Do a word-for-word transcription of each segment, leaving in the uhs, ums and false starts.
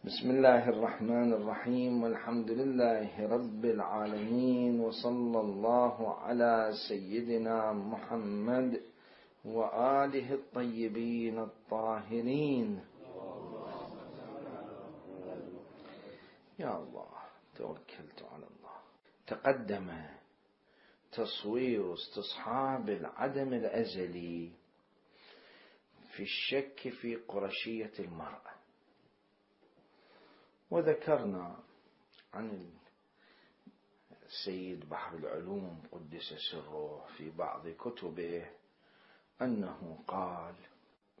بسم الله الرحمن الرحيم، والحمد لله رب العالمين، وصلى الله على سيدنا محمد وآله الطيبين الطاهرين. يا الله توكلت على الله. تقدم تصوير استصحاب العدم الأزلي في الشك في قرشية المرأة، وذكرنا عن السيد بحر العلوم قدس سره في بعض كتبه أنه قال: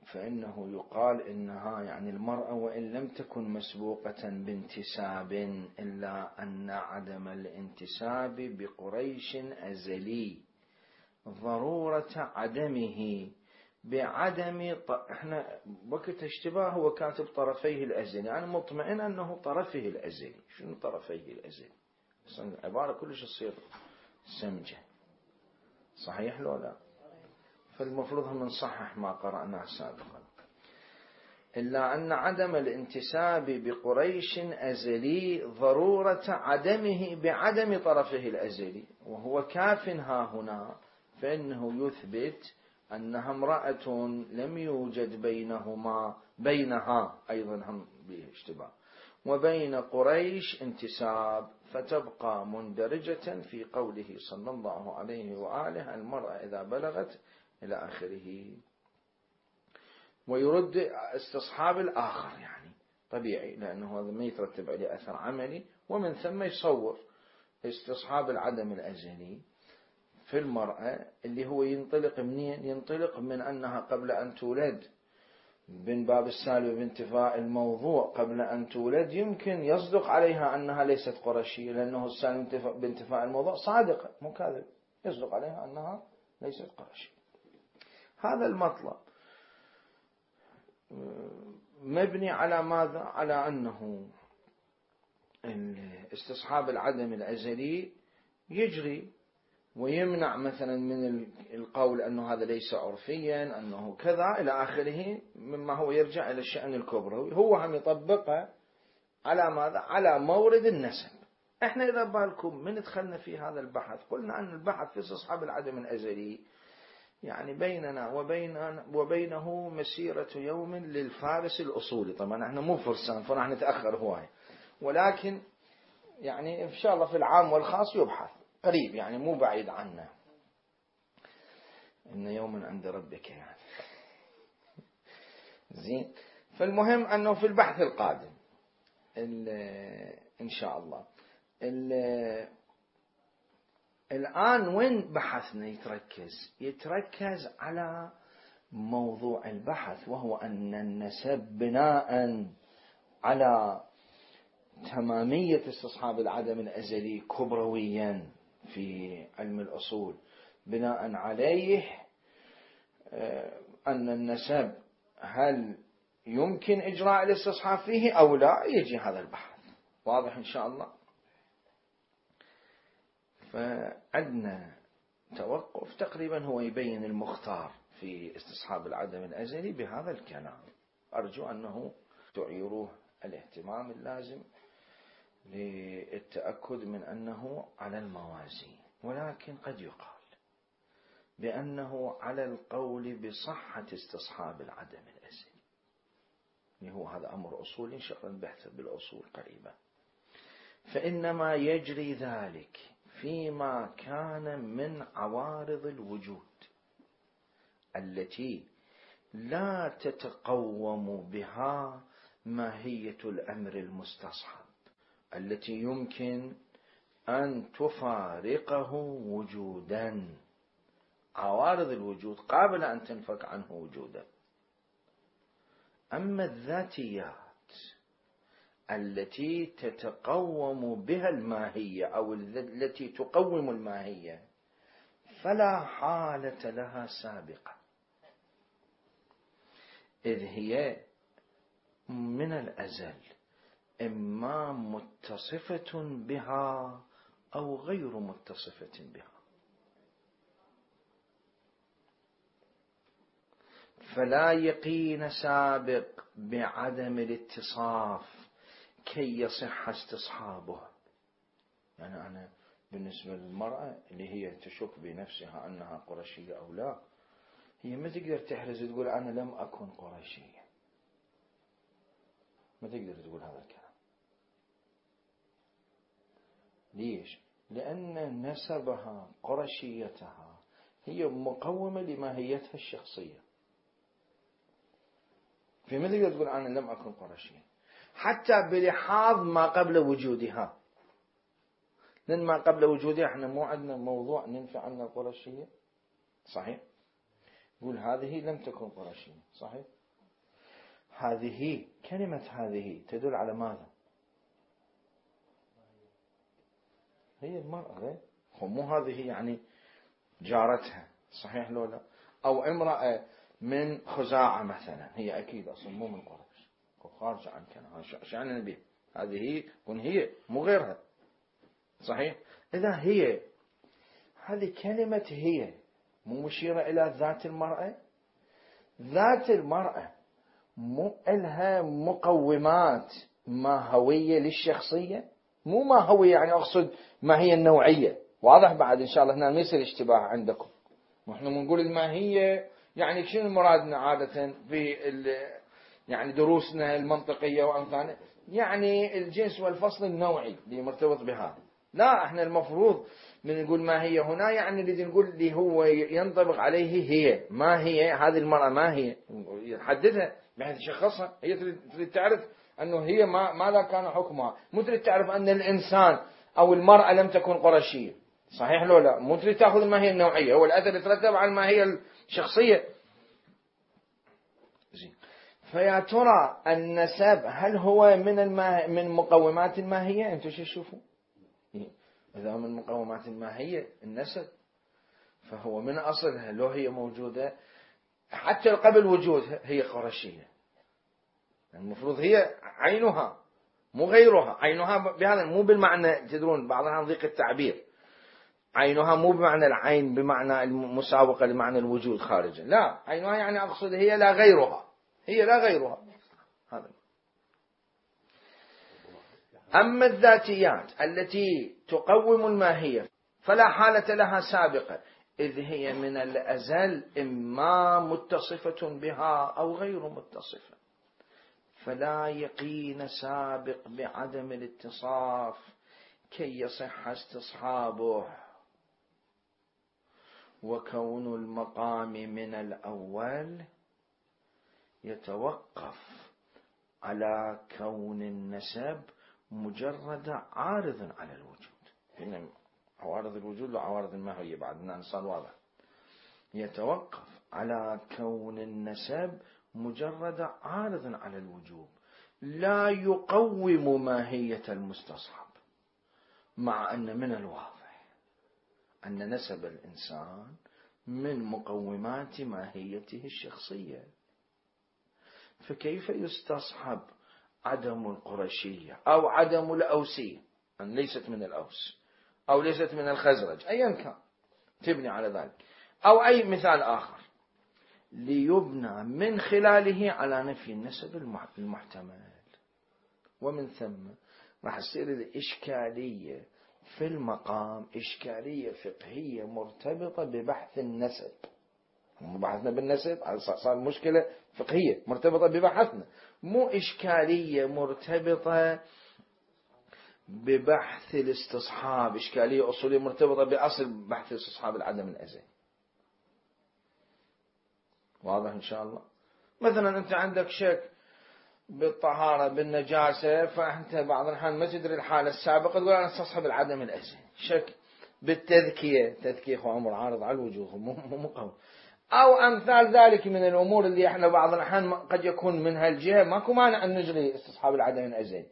فإنه يقال إنها يعني المرأة وإن لم تكن مسبوقة بانتساب إلا أن عدم الانتساب بقريش أزلي ضرورة عدمه بعدم ط... احنا وقت اشتباه هو كاتب طرفيه الأزلي، أنا مطمئن أنه طرفه الأزلي. شنو طرفيه الأزلي؟ عبارة كلش تصير سمجة، صحيح لو لا؟ فالمفروض هم نصحح ما قرأناه سابقا. إلا أن عدم الانتساب بقريش أزلي ضرورة عدمه بعدم طرفه الأزلي، وهو كاف ها هنا، فإنه يثبت أنها امرأة لم يوجد بينهما بينها أيضا هم باشتباه وبين قريش انتساب، فتبقى مندرجة في قوله صلى الله عليه وآله: المرأة إذا بلغت إلى آخره. ويرد استصحاب الآخر، يعني طبيعي لأنه هذا ما يترتب عليه أثر عملي، ومن ثم يصور استصحاب العدم الأزلي في المرأة اللي هو ينطلق منين؟ ينطلق من أنها قبل أن تولد، من باب السالب بانتفاء الموضوع قبل أن تولد يمكن يصدق عليها أنها ليست قرشية، لأنه السالب بانتفاء الموضوع صادقة مو كاذب، يصدق عليها أنها ليست قرشية. هذا المطلب مبني على ماذا؟ على أنه استصحاب العدم الأزلي يجري ويمنع مثلا من القول أنه هذا ليس عرفيا، أنه كذا إلى آخره، مما هو يرجع إلى الشأن الكبروي. هو هم يطبقه على ماذا؟ على مورد النسب. احنا إذا بالكم من دخلنا في هذا البحث قلنا أن البحث في استصحاب العدم الأزلي يعني بيننا وبين وبينه مسيرة يوم للفارس الأصولي. طبعا احنا مو فرسان فراح نتأخر هواي، ولكن يعني إن شاء الله في العام والخاص يبحث قريب، يعني مو بعيد عنا. إن يوما عند ربك يعني زين. فالمهم أنه في البحث القادم إن شاء الله. الآن وين بحثنا يتركز؟ يتركز على موضوع البحث، وهو أن النسب بناء على تمامية استصحاب العدم الأزلي كبرويا في علم الأصول، بناء عليه أن النسب هل يمكن إجراء الاستصحاب فيه أو لا، يجي هذا البحث. واضح إن شاء الله؟ فعندنا توقف تقريبا هو يبين المختار في استصحاب العدم الأزلي بهذا الكلام. أرجو أنه تعيروه الاهتمام اللازم للتأكد من أنه على الموازين، ولكن قد يقال بأنه على القول بصحة استصحاب العدم الأزلي. هو هذا أمر أصولي إن شاء الله نبحث بالأصول قريبا. فإنما يجري ذلك فيما كان من عوارض الوجود التي لا تتقوم بها ماهية الأمر المستصحب، التي يمكن أن تفارقه وجودا. عوارض الوجود قابل أن تنفك عنه وجودا. أما الذاتيات التي تتقوم بها الماهية أو التي تقوم الماهية فلا حالة لها سابقة، إذ هي من الأزل إما متصفة بها أو غير متصفة بها. فلا يقين سابق بعدم الاتصاف كي يصح استصحابه. يعني أنا بالنسبة للمرأة اللي هي تشك بنفسها أنها قرشية أو لا، هي ما تقدر تحرز تقول أنا لم أكن قرشية، ما تقدر تقول هذا الكلام. ليش؟ لأن نسبها قرشيتها هي مقومة لماهيتها الشخصية، فما تقدر تقول أنا لم أكن قرشية حتى بلحاظ ما قبل وجودها، لأن ما قبل وجودها احنا مو عندنا موضوع ننفع عنا القرشية، صحيح؟ يقول هذه لم تكن قرشية، صحيح؟ هذه كلمة هذه تدل على ماذا؟ هي المرأة غير، مو هذه يعني جارتها، صحيح لو لا؟ أو امرأة من خزاعة مثلا، هي أكيد أصلا مو من قريش، خارج عن كلام، شأن النبي، هذه كن هي مو غيرها، صحيح؟ إذا هي، هذه كلمة هي مو مشيرة إلى ذات المرأة. ذات المرأة مو إلها مقومات ماهوية للشخصية، مو ماهوية يعني أقصد ما هي النوعية، واضح بعد إن شاء الله هنا ما يصير اشتباه عندكم. ونحن بنقول الماهية يعني شنو مرادنا عادة في يعني دروسنا المنطقية وأمثالها، يعني الجنس والفصل النوعي اللي مرتبط بهذا. لا، احنا المفروض من نقول ما هي هنا يعني اللي نقول اللي هو ينطبق عليه هي، ما هي هذه المرأة، ما هي يحددها بحيث يشخصها. هي تريد تعرف أنه هي ما ماذا كان حكمها، مو تريد تعرف أن الإنسان أو المرأة لم تكن قرشية، صحيح لو لا؟ مو تريد تأخذ ما هي النوعية، هو الأثر يترتب على ما هي الشخصية. زين، فيا ترى النسب هل هو من الماه... من مقومات الماهية؟ أنتم شو تشوفوا؟ إذا من مقومات الماهية النسب، فهو من أصلها لو هي موجودة حتى قبل وجودها هي قرشية، المفروض هي عينها مو غيرها. عينها بهذا مو بالمعنى، تدرون بعض الأحيان ضيق التعبير، عينها مو بمعنى العين بمعنى المساوقة لمعنى الوجود خارجا، لا، عينها يعني أقصد هي لا غيرها، هي لا غيرها. هذا. أما الذاتيات التي تقوم الماهية فلا حالة لها سابقة، إذ هي من الأزل إما متصفة بها أو غير متصفة، فلا يقين سابق بعدم الاتصاف كي يصح استصحابه. وكون المقام من الأول يتوقف على كون النسب مجرد عارض على الوجود. إن عوارض الوجود وعوارض الماهية بعد نصل واضح. يتوقف على كون النسب مجرد عارض على الوجود، لا يقوم ماهية المستصحب، مع أن من الواضح أن نسب الإنسان من مقومات ماهيته الشخصية، فكيف يستصحب عدم القرشية أو عدم الأوسية، أن ليست من الأوس أو ليست من الخزرج أيا كان تبني على ذلك، أو أي مثال آخر ليبنى من خلاله على نفي النسب المحتمل. ومن ثم راح تصير الإشكالية في المقام إشكالية فقهية مرتبطة ببحث النسب. بحثنا بالنسب صار مشكلة فقهية مرتبطة ببحثنا، مو إشكالية مرتبطة ببحث الاستصحاب، إشكالية أصولية مرتبطة بأصل بحث الاستصحاب العدم الأزلي. واضح إن شاء الله؟ مثلا أنت عندك شك بالطهارة بالنجاسة، فأنت بعض الأحيان ما تدري الحالة السابقة تقول أنا استصحب العدم الأزلي. شك بالتذكية، تذكية هو أمر عارض على الوجود مو قوي، أو أمثال ذلك من الأمور اللي إحنا بعض الأحيان قد يكون من هالجهة ماكو مانع أن نجري استصحاب العدم الأزلي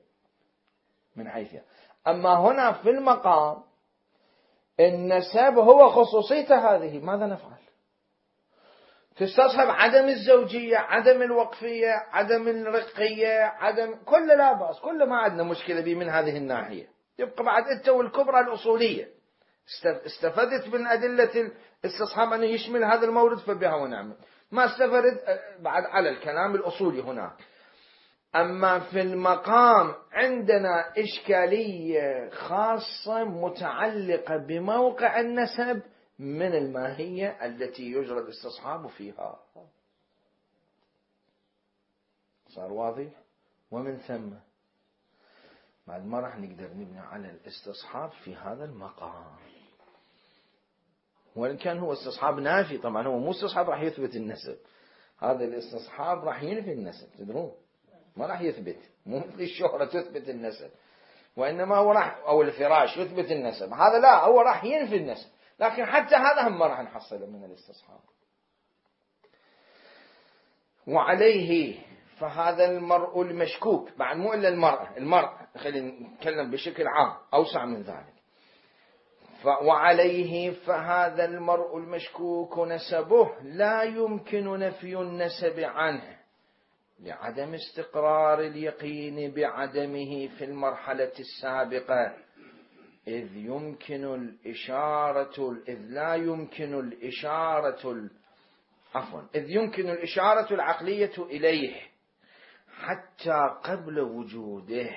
من حيث. أما هنا في المقام النسب هو خصوصيته هذه، ماذا نفعل؟ تستصحب عدم الزوجية، عدم الوقفية، عدم الرقية، عدم كل لا بأس، كل ما عندنا مشكلة به من هذه الناحية. يبقى بعد أنت والكبرى الأصولية استفدت من أدلة الاستصحاب أنه يشمل هذا المورد فبها ونعمل، ما استفدت بعد على الكلام الأصولي هناك. أما في المقام عندنا إشكالية خاصة متعلقة بموقع النسب من الماهية التي يجرى الاستصحاب فيها. صار واضح؟ ومن ثم بعد ما راح نقدر نبني على الاستصحاب في هذا المقام، وإن كان هو استصحاب نافي. طبعا هو مو استصحاب راح يثبت النسب، هذا الاستصحاب راح ينفي النسب، تدرون ما راح يثبت، مو مثل الشهرة تثبت النسب، وإنما هو راح أو الفراش يثبت النسب، هذا لا، هو راح ينفي النسب. لكن حتى هذا هم ما راح نحصله من الاستصحاب. وعليه فهذا المرء المشكوك، بعد مو إلا المرأة، المرأة خلينا نتكلم بشكل عام أوسع من ذلك. وعليه فهذا المرء المشكوك نسبه لا يمكن نفي النسب عنه لعدم استقرار اليقين بعدمه في المرحلة السابقة، إذ يمكن الإشارة إذ لا يمكن الإشارة عفوا إذ يمكن الإشارة العقلية إليه حتى قبل وجوده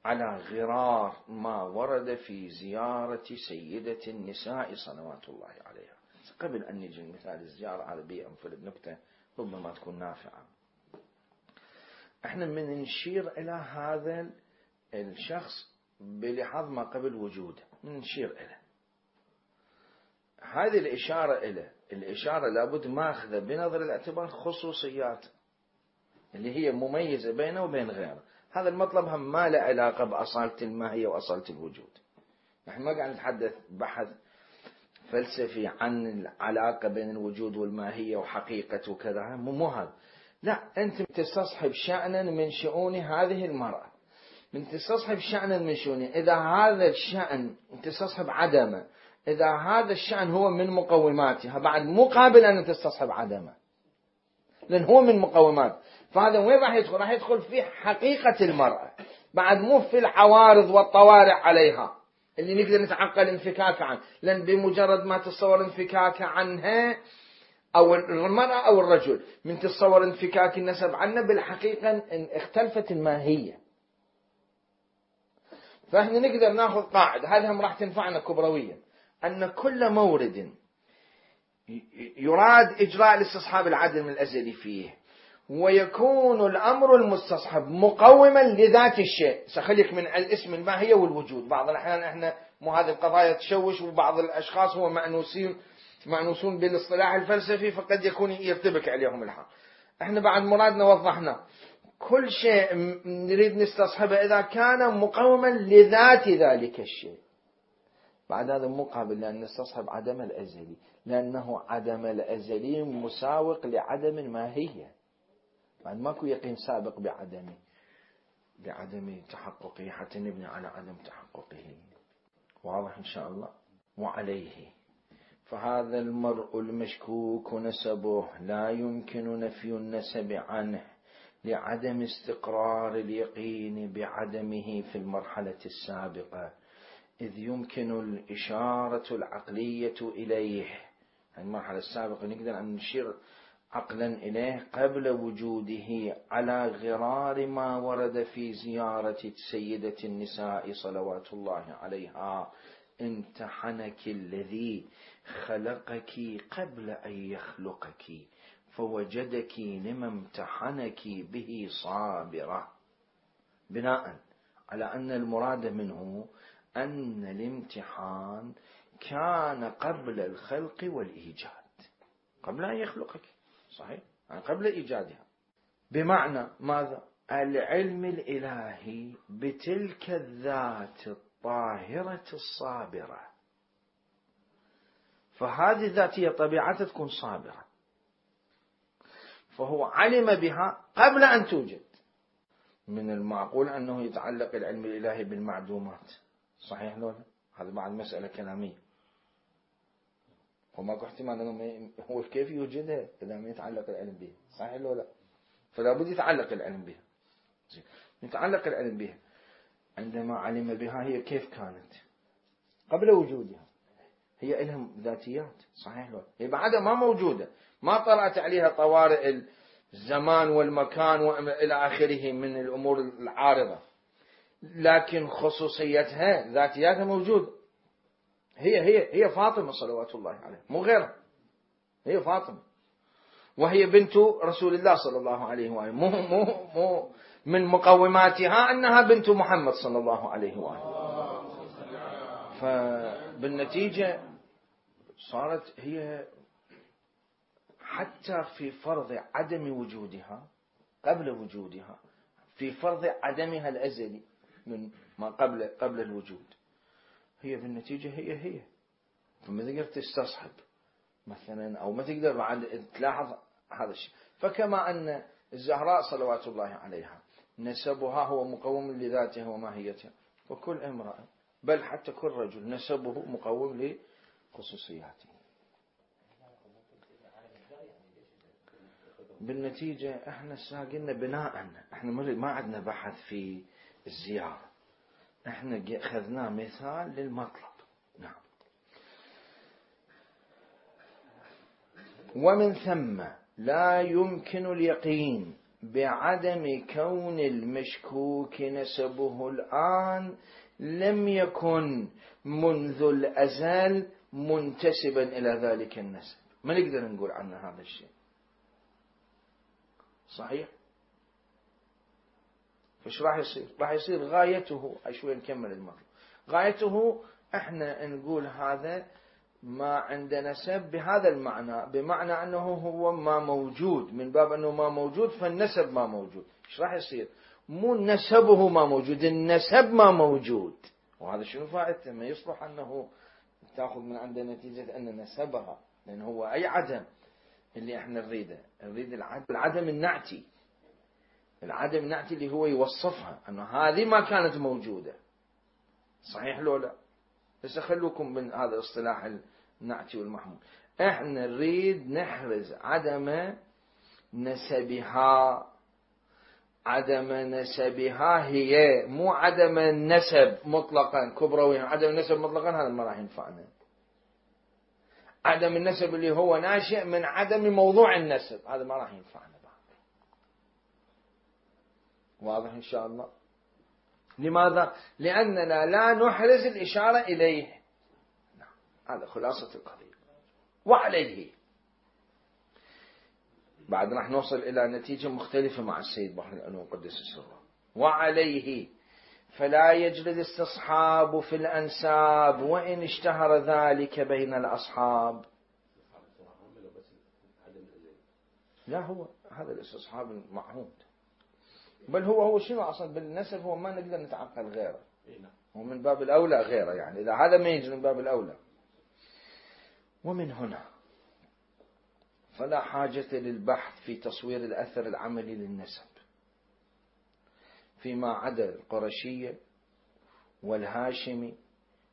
على غرار ما ورد في زيارة سيدة النساء صلوات الله عليها. قبل أن نجي مثال الزيارة على بيئة أنفرد نكتة ربما تكون نافعة. احنا من نشير إلى هذا الشخص بلحظ ما قبل وجوده، من نشير إليه هذه الإشارة إليه. الإشارة لابد ماخذة بنظر الاعتبار خصوصيات اللي هي مميزة بينه وبين غيره. هذا المطلب هم ما له علاقة بأصالة الماهية وأصالة الوجود. نحن ما قاعد نتحدث بحث فلسفي عن العلاقة بين الوجود والماهية وحقيقة وكذا، مو هذا. لا، أنت تستصحب شأنا من شؤون هذه المرأة، من تستصحب شأنا من شؤونه. إذا هذا الشأن تستصحب عدمه، إذا هذا الشأن هو من مقوماتها، بعد مو قابل أن تستصحب عدمه لأن هو من مقومات. فهذا وين راح يدخل؟ راح يدخل في حقيقة المرأة، بعد مو في العوارض والطوارئ عليها اللي نقدر نتعقل انفكاك عنه. لأن بمجرد ما تتصور انفكاك عنها أو المرأة أو الرجل، من تتصور انفكاك النسب عنه بالحقيقة إن اختلفت الماهية. فإحنا نقدر ناخذ قاعدة هذه هم راح تنفعنا كبرويا، أن كل مورد يراد إجراء الاستصحاب العدم الأزلي فيه ويكون الأمر المستصحب مقوما لذات الشيء. سخليك من الاسم الماهية والوجود. بعض الأحيان إحنا مو هذه القضايا تشوش، وبعض الأشخاص هو مأنوسين مأنوسون بالاصطلاح الفلسفي فقد يكون يرتبك عليهم الحال. إحنا بعد مرادنا وضحنا كل شيء نريد نستصحبه إذا كان مقوما لذات ذلك الشيء. بعد هذا مقابل لأن نستصحب عدم الأزلي، لأنه عدم الأزلي مساوق لعدم الماهية. بعد ماكو يقين سابق بعدمه بعدم تحققه حتى نبني على عدم تحققه. واضح إن شاء الله. وعليه فهذا المرء المشكوك نسبه لا يمكن نفي النسب عنه لعدم استقرار اليقين بعدمه في المرحلة السابقة، إذ يمكن الإشارة العقلية إليه. المرحلة السابقة نقدر أن نشير عقلا إليه قبل وجوده على غرار ما ورد في زيارة سيدة النساء صلوات الله عليها: امتحنك الذي خلقك قبل أن يخلقك فوجدك لما امتحنك به صابرة، بناء على أن المراد منه أن الامتحان كان قبل الخلق والإيجاد، قبل أن يخلقك، صحيح؟ يعني قبل إيجادها. بمعنى ماذا؟ العلم الإلهي بتلك الذات الطاهرة الصابرة، فهذه الذاتية طبيعتها تكون صابرة، فهو علم بها قبل أن توجد. من المعقول أنه يتعلق العلم الإلهي بالمعدومات، صحيح لولا؟ هذا بعد مسألة كلامية، وماكو احتمال أنه هو كيف يوجدها إذا ما يتعلق العلم بها، صحيح لولا؟ فلا بد يتعلق العلم بها. يتعلق العلم بها عندما علم بها هي كيف كانت قبل وجودها، هي لهم ذاتيات، صحيح لولا؟ هي بعدها ما موجودة، ما طرأت عليها طوارئ الزمان والمكان وإلى آخره من الأمور العارضة، لكن خصوصيتها ذاتياتها موجودة. هي هي هي فاطمة صلوات الله عليها، مو غيرها، هي فاطمة، وهي بنت رسول الله صلى الله عليه وآله، مو مو مو من مقوماتها أنها بنت محمد صلى الله عليه وآله. فبالنتيجة صارت هي حتى في فرض عدم وجودها قبل وجودها، في فرض عدمها الأزلي من ما قبل قبل الوجود، هي بالنتيجة هي هي. فما تقدر تستصحب مثلا أو ما تقدر بعد تلاحظ هذا الشيء. فكما أن الزهراء صلوات الله عليها نسبها هو مقوم لذاتها وماهيتها، وكل امرأة بل حتى كل رجل نسبه مقوم لخصوصياته. بالنتيجة احنا قلنا بناء، احنا ما عندنا بحث في الزيارة، احنا اخذناه مثال للمطلب. نعم. ومن ثم لا يمكن اليقين بعدم كون المشكوك نسبه الآن لم يكن منذ الأزل منتسبا إلى ذلك النسب. ما نقدر نقول عنه هذا الشيء صحيح. فش راح يصير؟ راح يصير غايته، شوي نكمل المطلب، غايته احنا نقول هذا ما عند نسب بهذا المعنى، بمعنى أنه هو ما موجود، من باب أنه ما موجود فالنسب ما موجود. إيش راح يصير؟ مو نسبه ما موجود، النسب ما موجود. وهذا شنو فائدته؟ ما يصلح أنه تأخذ من عنده نتيجة أن نسبها، لأن هو أي عدم اللي احنا نريده، نريد العدم, العدم النعتي، العدم النعتي اللي هو يوصفها أنه هذه ما كانت موجودة. صحيح لو لا؟ بس خلوكم من هذا الاصطلاح النعتي والمحمول. احنا نريد نحرز عدم نسبها، عدم نسبها هي، مو عدم النسب مطلقا كبرويا، عدم النسب مطلقا هذا ما راح ينفعنا. عدم النسب اللي هو ناشئ من عدم موضوع النسب هذا ما راح ينفعنا بعد. واضح إن شاء الله؟ لماذا؟ لأننا لا نحرز الإشارة إليه. نعم. هذا خلاصة القضية. وعليه بعد راح نوصل إلى نتيجة مختلفة مع السيد بحر الأنوار قدس سره. وعليه فلا يجري الاستصحاب في الأنساب وإن اشتهر ذلك بين الأصحاب. لا، هو هذا الاستصحاب المعهود، بل هو هو شنو أصلا بالنسب، هو ما نقدر نتعقل غيره، هو من باب الأولى غيره، يعني إذا هذا ما يجري من باب الأولى. ومن هنا فلا حاجة للبحث في تصوير الأثر العملي للنسب فيما عدا القرشية والهاشمي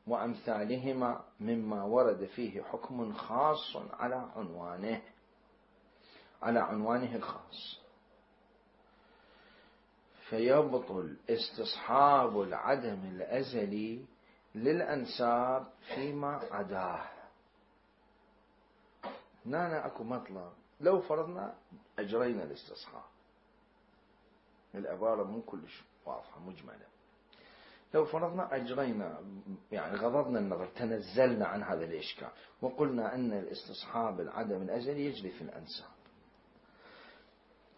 وأمثالهما مما ورد فيه حكم خاص على عنوانه على عنوانه الخاص، فيبطل استصحاب العدم الأزلي للأنساب فيما عداه. هنا أكو مطلب، لو فرضنا أجرينا الاستصحاب، العبارة مو كلش واضحة مجملة، لو فرضنا أجرينا يعني غضضنا النظر، تنزلنا عن هذا الإشكال وقلنا أن الاستصحاب العدم الأزلي يجري في الأنساب.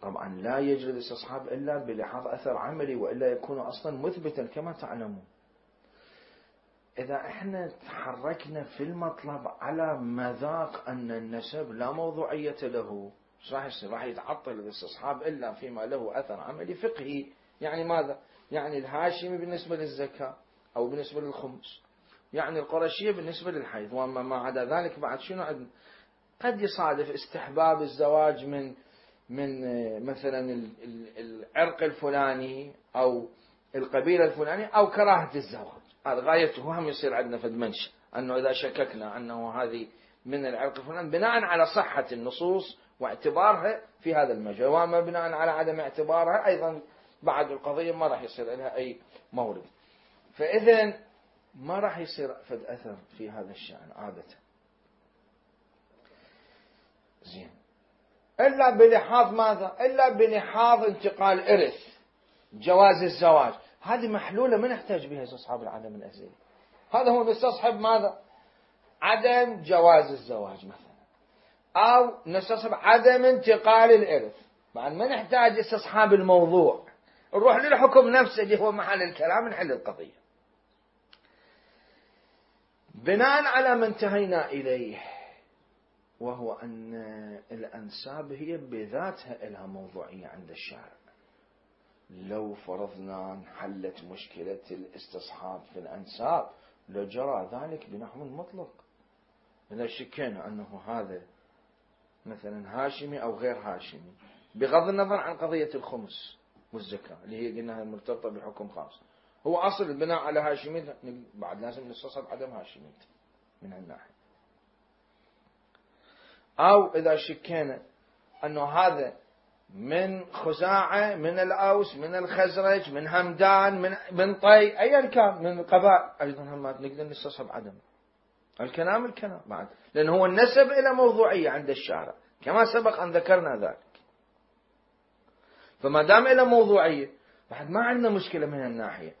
طبعا لا يجري الاستصحاب إلا بلحاظ أثر عملي، وإلا يكون أصلا مثبتا كما تعلمون. إذا احنا تحركنا في المطلب على مذاق أن النسب لا موضوعية له، راح يصير؟ راح يتعطل الاستصحاب إلا فيما له أثر عملي فقهي. يعني ماذا؟ يعني الهاشمي بالنسبة للزكاة أو بالنسبة للخمس، يعني القرشية بالنسبة للحيض، وما ما عدا ذلك بعد شنو عندنا؟ قد يصادف استحباب الزواج من من مثلا العرق الفلاني أو القبيلة الفلانية، أو كراهة الزواج، هذا غايته هم يصير عندنا فد منشأ أنه إذا شككنا أنه هذه من العرق الفلاني بناء على صحة النصوص واعتبارها في هذا المجال، وما بناء على عدم اعتبارها أيضا بعد القضية ما راح يصير لها أي مورد. فإذا ما راح يصير فد أثر في هذا الشأن عادة. زين، إلا بلحاظ ماذا؟ إلا بلحاظ انتقال إرث، جواز الزواج. هذه محلولة ما نحتاج بها استصحاب العدم الأزلي. هذا هو نستصحب ماذا؟ عدم جواز الزواج مثلا، أو نستصحب عدم انتقال الإرث. بعد ما نحتاج استصحاب الموضوع، نروح للحكم نفسه اللي هو محل الكلام، نحل القضية بناء على ما انتهينا إليه، وهو أن الأنساب هي بذاتها لها موضوعية عند الشارع. لو فرضنا انحلت مشكلة الاستصحاب في الأنساب لجرى ذلك بنحو مطلق. إذا شكينا أنه هذا مثلا هاشمي أو غير هاشمي، بغض النظر عن قضية الخمس والزكاة اللي هي قلناها مرتبطة بحكم خاص، هو أصل البناء على هاشمية، بعد لازم نستصحب عدم هاشمية من الناحية. أو إذا شكينا أنه هذا من خزاعة، من الأوس، من الخزرج، من همدان، من من طي، أيا كان من القبائل، أيضا هم نقدر نستصحب عدم الكلام الكلام بعد، لأن هو النسب إلى موضوعية عند الشارع كما سبق أن ذكرنا ذلك. فما دام إلى موضوعية بعد ما عندنا مشكلة من الناحية.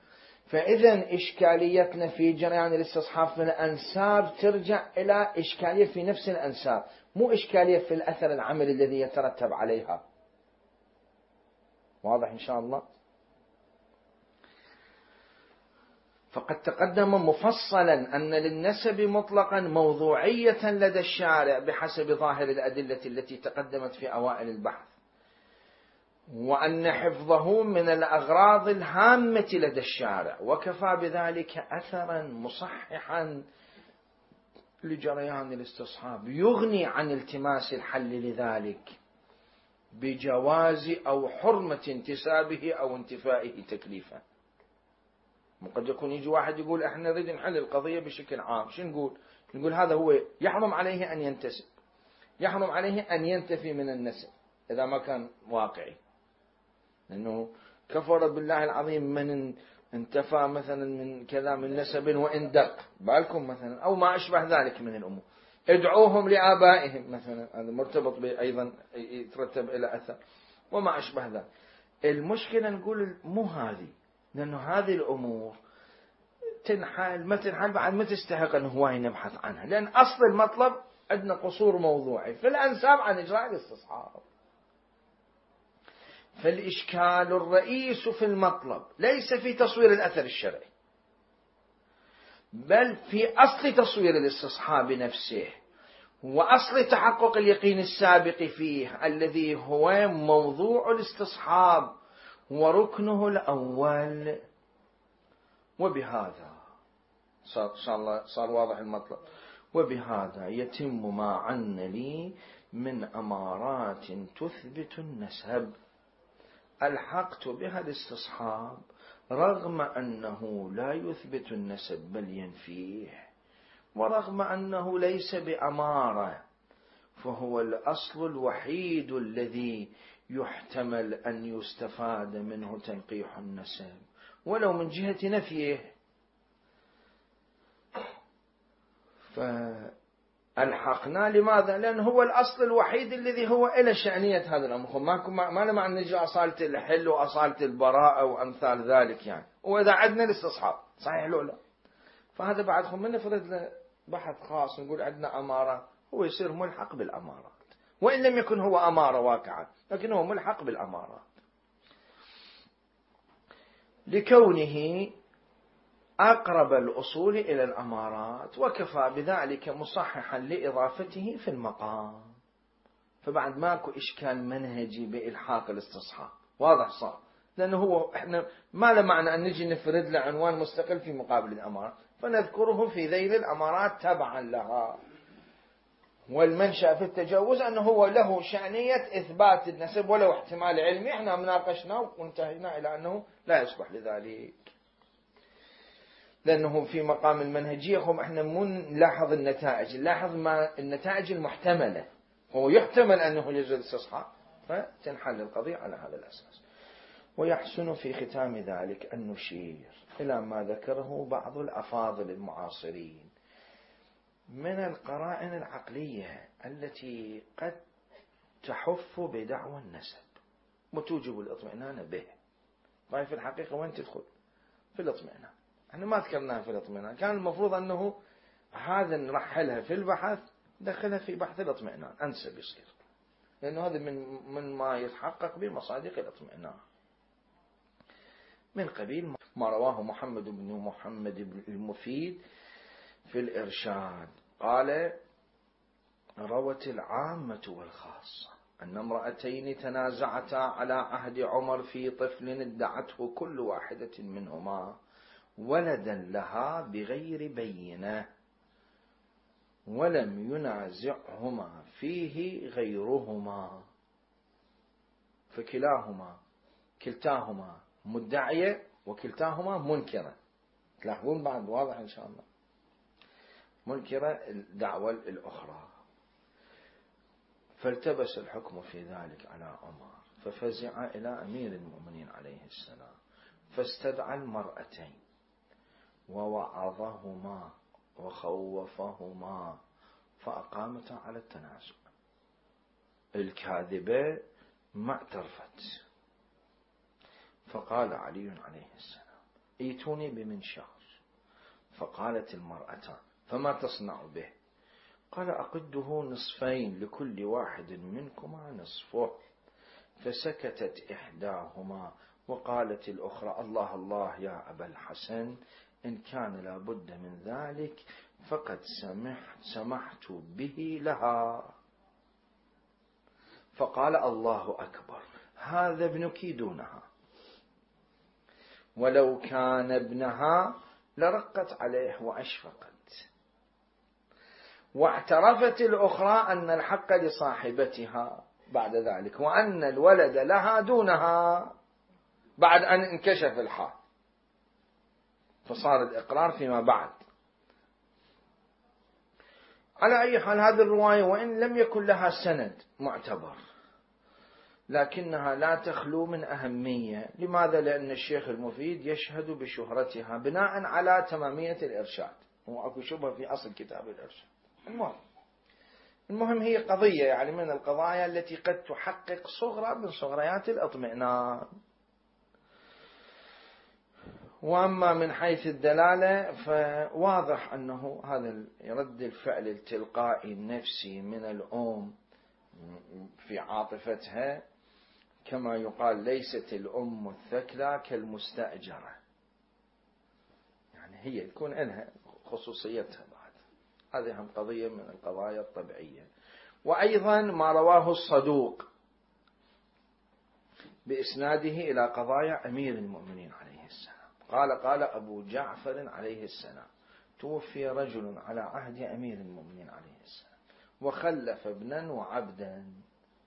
فإذا إشكاليتنا في جريان الاستصحاب في الأنساب ترجع إلى إشكالية في نفس الأنساب، مو إشكالية في الأثر العملي الذي يترتب عليها. واضح إن شاء الله؟ فقد تقدم مفصلا أن للنسب مطلقا موضوعية لدى الشارع بحسب ظاهر الأدلة التي تقدمت في أوائل البحث، وأن حفظه من الأغراض الهامة لدى الشارع، وكفى بذلك أثرا مصححا لجريان الاستصحاب يغني عن التماس الحل لذلك بجواز أو حرمة انتسابه أو انتفائه تكليفا. قد يكون يجي واحد يقول احنا نريد نحل القضية بشكل عام، شو نقول؟ نقول هذا هو يحرم عليه أن ينتسب، يحرم عليه أن ينتفي من النسب إذا ما كان واقعي، لأنه كفر بالله العظيم من انتفى مثلا من كذا من نسب وإن دق بالكم مثلا، أو ما أشبه ذلك من الأمور. ادعوهم لآبائهم مثلا، هذا مرتبط أيضا يترتب إلى أثر وما أشبه ذلك. المشكلة نقول مو هذه، لأنه هذه الأمور تنحل ما تنحل بعد ما تستحق أن هواي نبحث عنها، لأن أصل المطلب عندنا قصور موضوعي في الأنساب عن إجراء الاستصحاب. فالإشكال الرئيس في المطلب ليس في تصوير الأثر الشرعي، بل في أصل تصوير الاستصحاب نفسه، وأصل تحقق اليقين السابق فيه الذي هو موضوع الاستصحاب وركنه الأول. وبهذا صار, صار, صار واضح المطلب. وبهذا يتم ما عن لي من أمارات تثبت النسب الحقت بها الاستصحاب رغم أنه لا يثبت النسب بل ينفيه، ورغم أنه ليس بأمارة، فهو الأصل الوحيد الذي يحتمل أن يستفاد منه تنقيح النسب ولو من جهة نفيه. فالحقنا لماذا؟ لأن هو الأصل الوحيد الذي هو إلى شأنية هذا الأمر. ما ما لما نجي أصالة الحل وأصالة البراءة وأمثال ذلك يعني، وإذا عدنا الاستصحاب صحيح لو لا، فهذا بعدهم من نفرد بحث خاص نقول عندنا أمارة، هو يصير ملحق بالأمارات وإن لم يكن هو أمارة واقعة، لكن هو ملحق بالأمارات لكونه أقرب الأصول إلى الأمارات، وكفى بذلك مصححا لإضافته في المقام. فبعد ماكو إشكال منهجي بإلحاق الاستصحاب، واضح صار، لأنه هو إحنا ما له معنى أن نجي نفرد له عنوان مستقل في مقابل الأمارات، فنذكره في ذيل الأمارات تبعا لها. والمنشأ في التجوز أنه هو له شأنية إثبات النسب ولو احتمال علمي، احنا مناقشنا وانتهينا إلى أنه لا يصبح لذلك، لأنه في مقام المنهجية هم احنا مو نلاحظ النتائج، نلاحظ ما النتائج المحتملة، هو يحتمل أنه يجوز الاستصحاب فتنحل القضية على هذا الأساس. ويحسن في ختام ذلك أن نشير إلى ما ذكره بعض الأفاضل المعاصرين من القرائن العقلية التي قد تحف بدعوى النسب وتوجب الاطمئنان به. فهي في الحقيقة وين تدخل؟ في الاطمئنان. احنا ما ذكرناها في الاطمئنان، كان المفروض أنه هذا نرحلها في البحث دخلها في بحث الاطمئنان أنسب يصير، لأنه هذا من من ما يتحقق بمصادق الاطمئنان. من قبيل ما رواه محمد بن محمد بن المفيد في الإرشاد قال: روت العامة والخاصة أن امرأتين تنازعتا على عهد عمر في طفل ادعته كل واحدة منهما ولدا لها بغير بينة، ولم ينازعهما فيه غيرهما، فكلاهما كلتاهما مدعية وكلتاهما منكرة. تلاحظون بعد واضح إن شاء الله، منكرة الدعوة الأخرى. فالتبس الحكم في ذلك على عمر، ففزع إلى أمير المؤمنين عليه السلام، فاستدعى المرأتين ووعظهما وخوفهما فأقامتا على التنازع. الكاذبة ما اعترفت، فقال علي عليه السلام: ائتوني بمنشار. فقالت المرأتان: فما تصنع به؟ قال: أقده نصفين لكل واحد منكما نصفه. فسكتت إحداهما وقالت الأخرى: الله الله يا أبا الحسن، إن كان لابد من ذلك فقد سمحت, سمحت به لها. فقال: الله أكبر، هذا ابنك دونها، ولو كان ابنها لرقت عليه وأشفقت. واعترفت الأخرى أن الحق لصاحبتها بعد ذلك، وأن الولد لها دونها بعد أن انكشف الحال، فصار الإقرار فيما بعد. على أي حال هذه الرواية وإن لم يكن لها سند معتبر، لكنها لا تخلو من أهمية. لماذا؟ لأن الشيخ المفيد يشهد بشهرتها بناء على تمامية الإرشاد، وأكو شبه في أصل كتاب الإرشاد. المهم المهم هي قضية يعني من القضايا التي قد تحقق صغرى من صغريات الاطمئنان. وأما من حيث الدلالة فواضح أنه هذا رد الفعل التلقائي النفسي من الأم في عاطفتها، كما يقال: ليست الأم الثكلى كالمستأجرة، يعني هي يكون لها خصوصيتها بعد. هذه هم قضية من القضايا الطبيعية. وأيضا ما رواه الصدوق بإسناده إلى قضايا أمير المؤمنين عليه السلام قال: قال أبو جعفر عليه السلام: توفي رجل على عهد أمير المؤمنين عليه السلام وخلف ابنا وعبدا،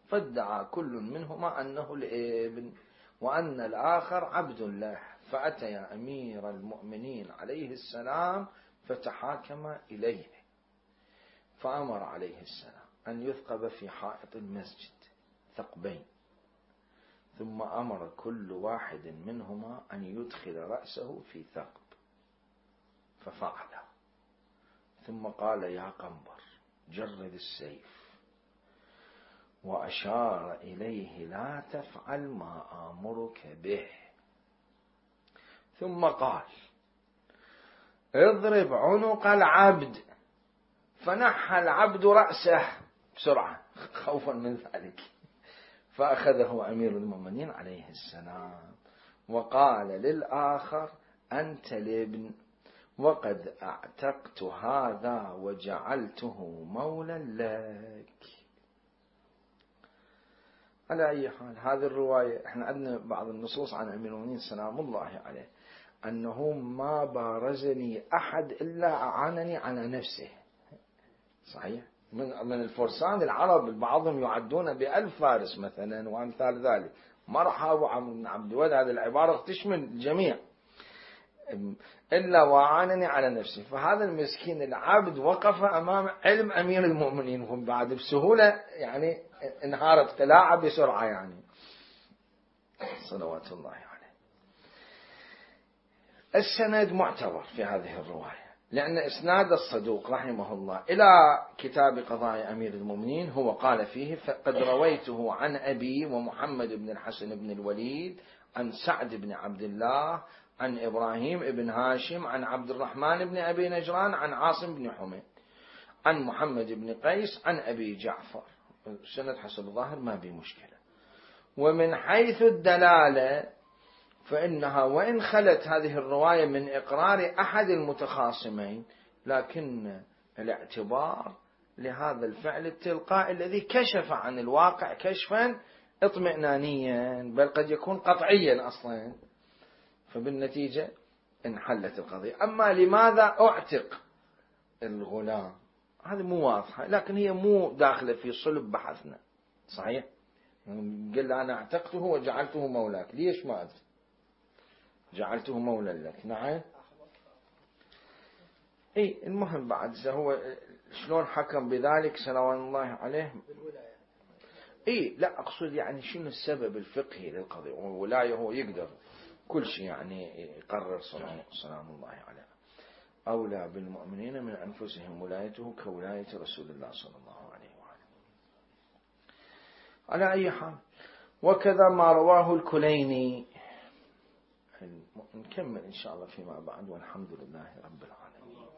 فادعى كل منهما أنه الابن وأن الآخر عبد له، فأتى أمير المؤمنين عليه السلام فتحاكم إليه، فأمر عليه السلام أن يثقب في حائط المسجد ثقبين، ثم أمر كل واحد منهما أن يدخل رأسه في ثقب، ففعل. ثم قال: يا قنبر جرد السيف، وأشار إليه: لا تفعل ما آمرك به. ثم قال: اضرب عنق العبد. فنحى العبد رأسه بسرعة خوفا من ذلك، فأخذه أمير المؤمنين عليه السلام وقال للآخر: أنت الابن، وقد أعتقت هذا وجعلته مولا لك. على أي حال هذه الرواية، احنا عندنا بعض النصوص عن أمير المؤمنين سلام الله عليه أنه ما بارزني أحد إلا أعانني على نفسه. صحيح؟ من من الفرسان العرب بعضهم يعدون بألف فارس مثلا وأمثال ذلك، ما راح أبو عمرو بن عبد الود هذه العبارة تشمل الجميع، إلا وأعانني على نفسي. فهذا المسكين العبد وقف أمام علم أمير المؤمنين، هم بعد بسهولة يعني انهارت قلاعة بسرعة يعني صلوات الله عليه. السند معتبر في هذه الرواية، لأن إسناد الصدوق رحمه الله إلى كتاب قضايا أمير المؤمنين هو قال فيه: فقد رويته عن أبي ومحمد بن الحسن بن الوليد عن سعد بن عبد الله عن إبراهيم بن هاشم عن عبد الرحمن بن أبي نجران عن عاصم بن حميد عن محمد بن قيس عن أبي جعفر. سند حسب الظاهر ما بي مشكلة. ومن حيث الدلالة فإنها وإن خلت هذه الرواية من إقرار أحد المتخاصمين، لكن الاعتبار لهذا الفعل التلقائي الذي كشف عن الواقع كشفا اطمئنانيا، بل قد يكون قطعيا أصلا، فبالنتيجة انحلت القضية. أما لماذا أعتق الغلام هذه مو واضحة، لكن هي مو داخلة في صلب بحثنا. صحيح قل أنا اعتقته وجعلته مولاك، ليش ما أدري، جعلته مولا لك. نعم اي المهم بعد هو شلون حكم بذلك سلام الله عليه. اي لا اقصد يعني شنو السبب الفقهي للقضية، والولاية هو يقدر كل شيء يعني يقرر سلام الله عليه. أولى بالمؤمنين من أنفسهم ولايته كولاية رسول الله صلى الله عليه وآله. على أي حال، وكذا ما رواه الكليني. نكمل إن شاء الله فيما بعد، والحمد لله رب العالمين.